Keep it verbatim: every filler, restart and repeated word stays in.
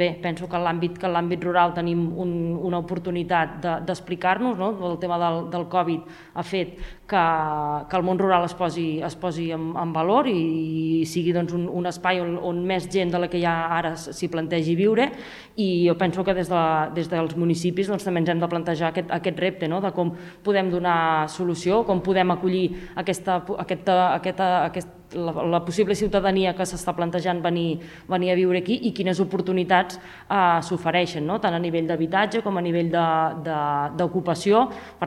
Bé, penso que en l'àmbit rural tenim una oportunitat d'explicar-nos, el tema del Covid ha fet que el món rural es posi en valor i sigui un espai on més gent de la que hi ha ara s'hi plantegi viure, i jo penso que des dels municipis també ens hem de plantejar aquest repte de com podem donar solució, com podem acollir la possible ciutadania que s'està plantejant venir a viure aquí i quines oportunitats s'ofereixen, tant a nivell d'habitatge com a nivell d'ocupació.